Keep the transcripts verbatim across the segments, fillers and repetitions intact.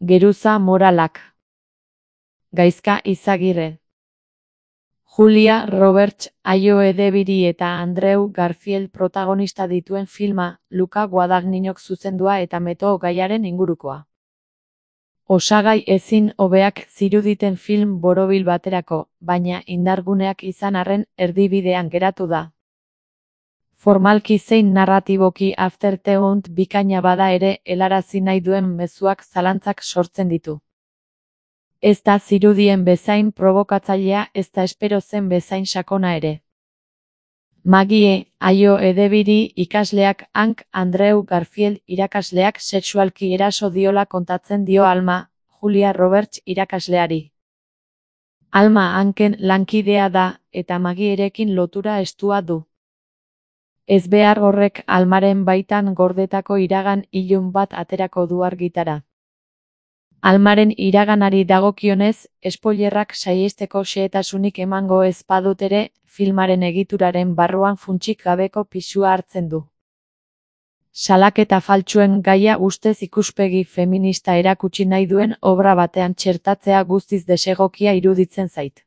Geruza moralak. Gaizka Izagirre. Julia Roberts, Aio Edebiri eta Andrew Garfield protagonista dituen filma, Luca Guadagninok zuzendua eta meto gaiaren ingurukoa. Osagai ezin hobeak ziruditen film borobil baterako, baina indarguneak izan arren erdibidean geratu da. Formalki zein narratiboki Afterthought bikaina bada ere helarazi nahi duen mezuak zalantzak sortzen ditu. Ez da zirudien bezain probokatzailea ezta espero zen bezain sakona ere. Maggie, Aio Edebiri ikasleak Hank Andrew Garfield irakasleak sexualki eraso diola kontatzen dio Alma, Julia Roberts irakasleari. Alma Hanken lankidea da, eta Maggierekin lotura estua du. Ezbehar horrek Almaren baitan gordetako iragan ilun bat aterako du argitara. Almaren iraganari dagokionez, spoilerrak saihesteko xehetasunik emango ez badut ere, filmaren egituraren barruan funtsik gabeko pisua hartzen du. Salaketa faltsuen gaia ustez ikuspegi feminista erakutsi nahi duen obra batean txertatzea guztiz desegokia iruditzen zait.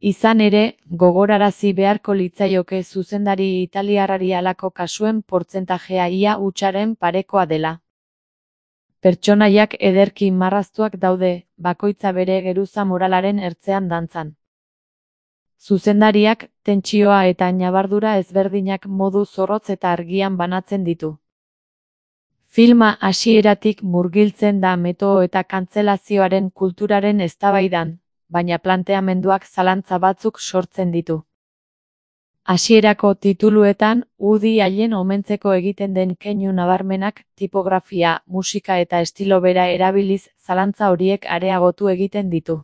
Izan ere, gogorarazi beharko litzaioke zuzendari italiarrari halako kasuen portzentajea ia hutsaren parekoa dela. Pertsonaiak ederki marraztuak daude, bakoitza bere geruza moralaren ertzean dantzan. Zuzendariak, tentsioa eta ñabardura ezberdinak modu zorrotz eta argian banatzen ditu. Filma hasieratik murgiltzen da meto eta kantzelazioaren kulturaren eztabaidan, baina planteamenduak zalantza batzuk sortzen ditu. Hasierako tituluetan, Woody Allen omentzeko egiten den keinu nabarmenak, tipografia, musika eta estilo bera erabiliz, zalantza horiek areagotu egiten ditu.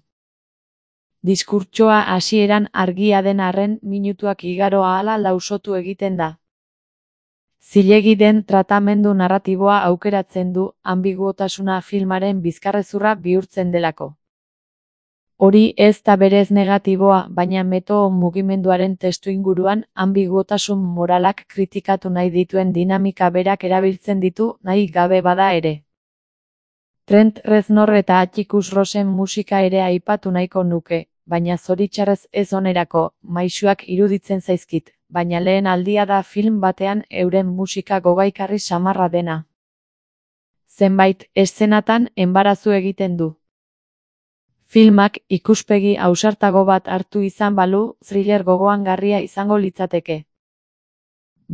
Diskurtsoa hasieran argia den arren minutuak igaro ahala lausotu egiten da. Zilegi den tratamendu narratiboa aukeratzen du, ambiguotasuna filmaren bizkarrezurra bihurtzen delako. Hori ez da berez negatiboa, baina meto mugimenduaren testuinguruan ambiguotasun moralak kritikatu nahi dituen dinamika berak erabiltzen ditu nahi gabe bada ere. Trent Reznor eta Atticus Rossen musika ere aipatu nahiko nuke, baina zoritxarrez ez onerako, maisuak iruditzen zaizkit, baina lehen aldia da film batean euren musika gogaikarri samarra dena. Zenbait eszenatan enbarazu egiten du. Filmak ikuspegi ausartago bat hartu izan balu, thriller gogoangarria izango litzateke.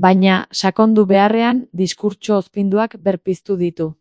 Baina, sakondu beharrean, diskurtso ozpinduak berpiztu ditu.